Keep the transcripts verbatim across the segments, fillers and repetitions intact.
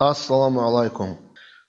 Ассаламу гӀалайкум.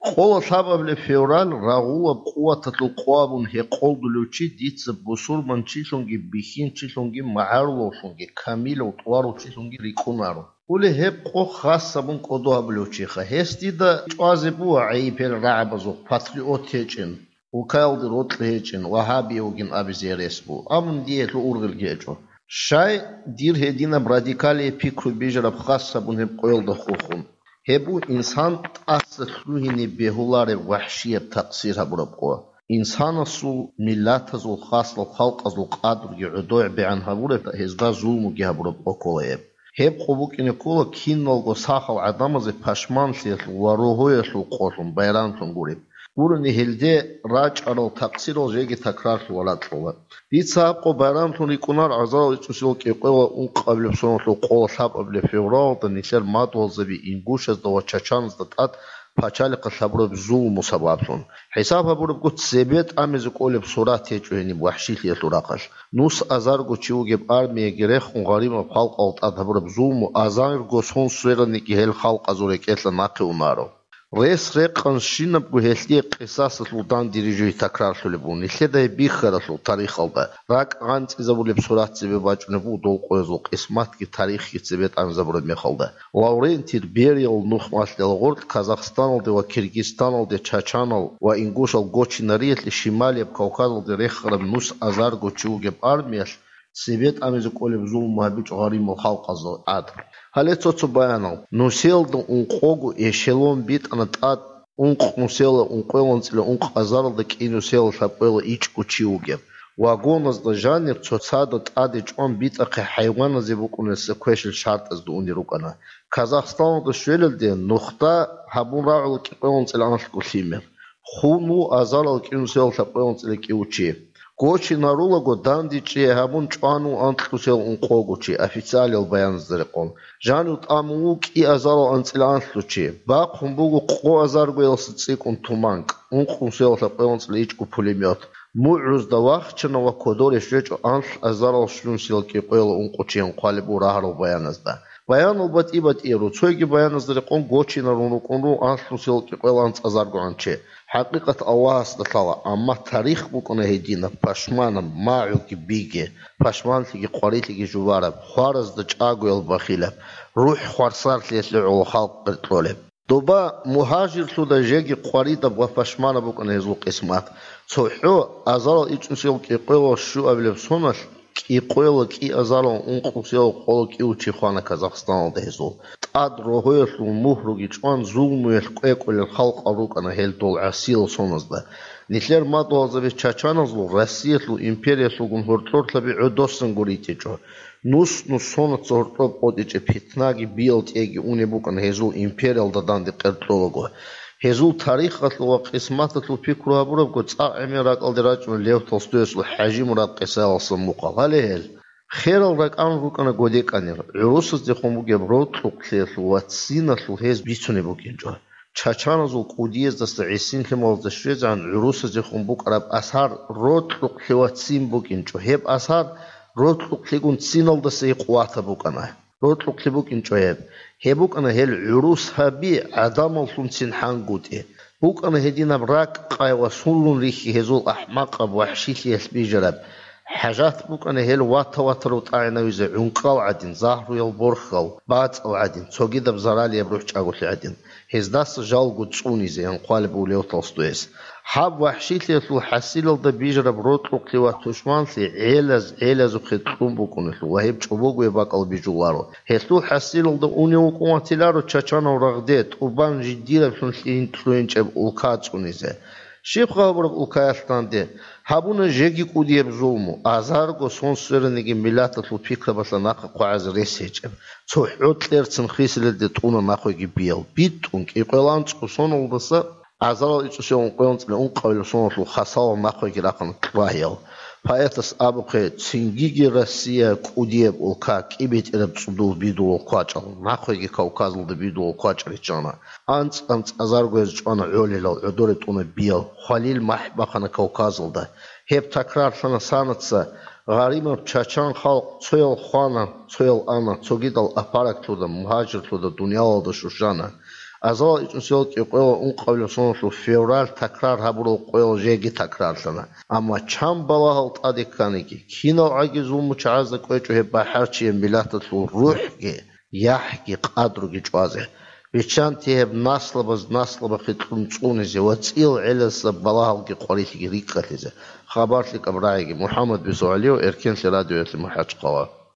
Къола лъабабилеб февраль рагъулаб къуваталъул къо абун гьекъолдулев чи дица бусурманчилъунги бихьинчилъунги магӀарулавлъунги камилав тӀварав чилъунги рикӀкӀунаро. Гьуле гьеб къо хас абун кӀодо гьабулев чиха. Гьес дида чӀвазе буго гӀайиб гьел рагӀабазухъ патриот гьечӀин, улкаялде рокьи гьечӀин, вагьабияв вугин абизе гьерес буго, амма дие гьелъул ургъелги гьечӀо. Щай дир гьединаб радикалие пикру бижараб хас абун гьеб къоялда хурхун? Гьеб буго инсан тӀаса лъугьине бегьулареб вахӀшияб такъсир гьабураб къо. Инсанасул, миллатазул, хасал халкъазул къадрги гӀодобегӀан гьабуреб, гьезда зулмуги гьабураб къо ккола гьеб. Гьеб къо букӀине ккола киналго сахал гӀадамазе пашманлъиялъул ва рогьоялъул къолъун, байрамлъун гуреб. Гурони гьелде рачӀарал такъсирал жеги такрарлъула ракьула. Дица гьаб къо байрамлъун рикӀкӀунар азарал ичӀусиял кӀикъоялда ункъабилеб соналъул къола лъабабилеб февралалда нилъер мадугьалзаби ингушазда ва чачаназда тӀад пачалихъалъ гьабураб зулму сабаблъун. ХӀисаб гьабурабго, цебе тӀамизе кӀолеб сурат гьечӀо гьениб вахӀшилъиялъул рахъалъ. Нус азарго чи вугеб армияги рехун гъаримаб халкъал тӀад гьабураб зулму азарго сон свераниги гьел халкъазул рекӀелъа нахъе унаро. Рес-рекъанщинабго гьелъие къисасалъул данде рижуги такрарлъулеб буго. Нилъеда гьеб бихьаралъул тарихалда ракӀ гъанцӀизабулеб сурат цебе бачӀунеб буго дол къоязул къисматги тарихги цебе тӀамизабураб мехалда. Лаврентий Бериял нух малъила гъоркь Казахстаналде ва Киргизстаналде чачанал ва ингушал гочинариялъе Шималияб Кавказалде рехараб нус азарго чи вугеб армиялъ цебе тӀамизе кӀолеб зулму гьабичӀо гъаримал халкъазда тӀад. Гьале цо-цо баянал. Нусиялда ункъого эшелон битӀана тӀад, ункъ нусиялда ункъоялда анцӀила ункъ азаралда, кӀи нусиялда лъабкъоялда ичӀго чи вугеб. Вагоназда жанир цоцазда тӀаде чӀван битӀахъе хӀайваназе букӀунесса квешил шартӀазда унел рукӀана. Казахстаналда щвелалде нухда гьабун рагӀула кӀикъоялда анцӀила анлъго лъимер. Хун ву азарал кӀинусел лъабкъоялда анцӀила кӀиго чи. Гочинарулаго дандечӀей гьабун чӀван ву анкьусел ункъого чи, официалиял баяназда рекъон. Жанив тӀамун ву кӀи азарал анцӀила анлъго чи. Бахъун буго къо азаргоялдаса цӀикӀкӀун туманк, ункъусел лъабкъоялда анцӀила ичӀго пулемет. МугӀрузда вахчана ва кодоре щвечӀо анлъ азарал щунусел кӀикъоялда ункъо чиян хъвалеб буго рагьарал баяназда. Баянал батӀи-батӀияро, цойги баяназда рекъон гочинарун рукӀун руго анлънусел кӀикъоялда анцӀазаргогӀан чи. ХӀакъикъат Аллагьасда лъала, амма тарих букӀана гьединаб, пашманаб, магӀуги биги, пашманлъиги къварилъиги жубараб, хваразда чӀагоял бахилаб, рухӀ хвасарлъиялъе гӀоло халкъ къеркьолеб. Доба мугьажирлъуда жеги къваридаб ва пашманаб букӀана гьезул къисмат. ЦохӀо азарал ичӀнусел кӀикъоялда щуабилеб соналъ кӀикъоялда кӀиазарал ункъусел къола кӀиго чи хвана Казахстаналда гьезул. ТӀад рогьоялъул мугьруги чӀван, зулмуялъ кӀвекӀвелел халкъал рукӀана гьел дол гӀасиял соназда. Нилъер мадугьалзаби чачаназул Россиялъул империялъулгун гьоркьорлъаби гӀодосанго ритӀичӀо. Нус-нус сонаца гьоркьоб къотӀичӀеб питнаги биялтӀеги унеб букӀана гьезул империялда данде къеркьолаго. Гьезул тарихалъул ва къисматалъул пикру гьабурабго, цӀакъ гӀемер ракӀалде рачӀуна Лев Толстоясул ХӀажимурад къисаялдаса мухъал. Гьале гьел. Херал ракӀалде рукӀана годекӀанир, гӀурусаздехун бугеб рокьукълъиялъул ва циналъул гьез бицунеб букӀинчӀо. Чачаназул кӀудияздаса гӀисин лъималазда щвезегӀан гӀурусаздехун букӀараб асар рокьукълъи ва цин букӀинчӀо. Гьеб асар рокьукълъигун циналдаса къуватаб букӀана. Рокьукълъи букӀинчӀо гьеб. Гьеб букӀана гьел гӀурус гьаби гӀадамаллъунцин хӀангутӀи. БукӀана гьединаб ракӀ къай ва сунлъун рихьи гьезул ахӀмакъаб вахӀшилъиялъ бижараб. ХӀажат букӀана гьел вата-ватарав тӀагӀинавизе гӀункӀкӀал гӀадин, загьруял борхьал, бацӀал гӀадин, цогидаб заралияб рухӀчӀаголъи гӀадин. Гьездаса жалго цӀунизе, ян хъвалеб буго Лев Толстояс. Гьаб вахӀшилъиялъул хӀасилалда бижараб рокьукълъи ва тушманлъи гӀелаз-гӀелазухъе кьун букӀунелъул ва гьеб чӀобогояб бакӀал бижуларо. Гьелъул хӀасилалда унев вукӀун ватиларо чачанав рагъде, тӀубан жидераблъун лъугьин-, лъугьинчӀеб улка цӀунизе. Щибха гьабураб улкаялъ данде? Гьабуна жеги кӀудияб зулму, азарго сон свераниги миллаталъул пикрабалъа нахъа хъвагӀазе рес гьечӀеб. ЦохӀо кьерцин хисилелде тӀуна нахъеги биял. БитӀун кӀикъоялда анцӀго соналдаса азарал ичӀусел ункъоялда анцӀила ункъабилеб соналъул хасалал нахъеги рахъана кьвагьиял. Поэтас абухъе, цингиги Россия кӀудияб улка, кӀибетӀераб цӀудул бидулал квачӀал, нахъеги Кавказалда бидулал квачӀал риччана. АнцӀ-анцӀ азарго гьез чӀвана гӀолилал, гӀодоре тӀуна биял, хвалил махӀ бахъана Кавказалда. Гьеб такрарлъана санаца, гъаримаб чачан халкъ цоял хвана, цоял ана, цогидал апаракълъуда, мугьажирлъуда, дуниялалда щущана. Азалал ичӀнусиялда кӀикъоялда ункъабилеб соналъул февраль такрар гьабурал къоял жеги такрарлъана. Амма чан балагьал тӀаде кканиги, кинал гӀаги зулмучагӀазда кӀвечӀо гьеб бахӀарчияв миллаталъул рухӀги, яхӀги, къадруги чӀвазе. Биччанте гьеб наслабаз наслабахъе кьун цӀунизе ва цӀиял гӀелалъа балагьалги къварилъиги рикӀкӀалъизе. Хабар лъикӀаб рагӀиги. МухӀаммад Бисугьалиев, Эркенлъи радиоялъе МахӀачхъала.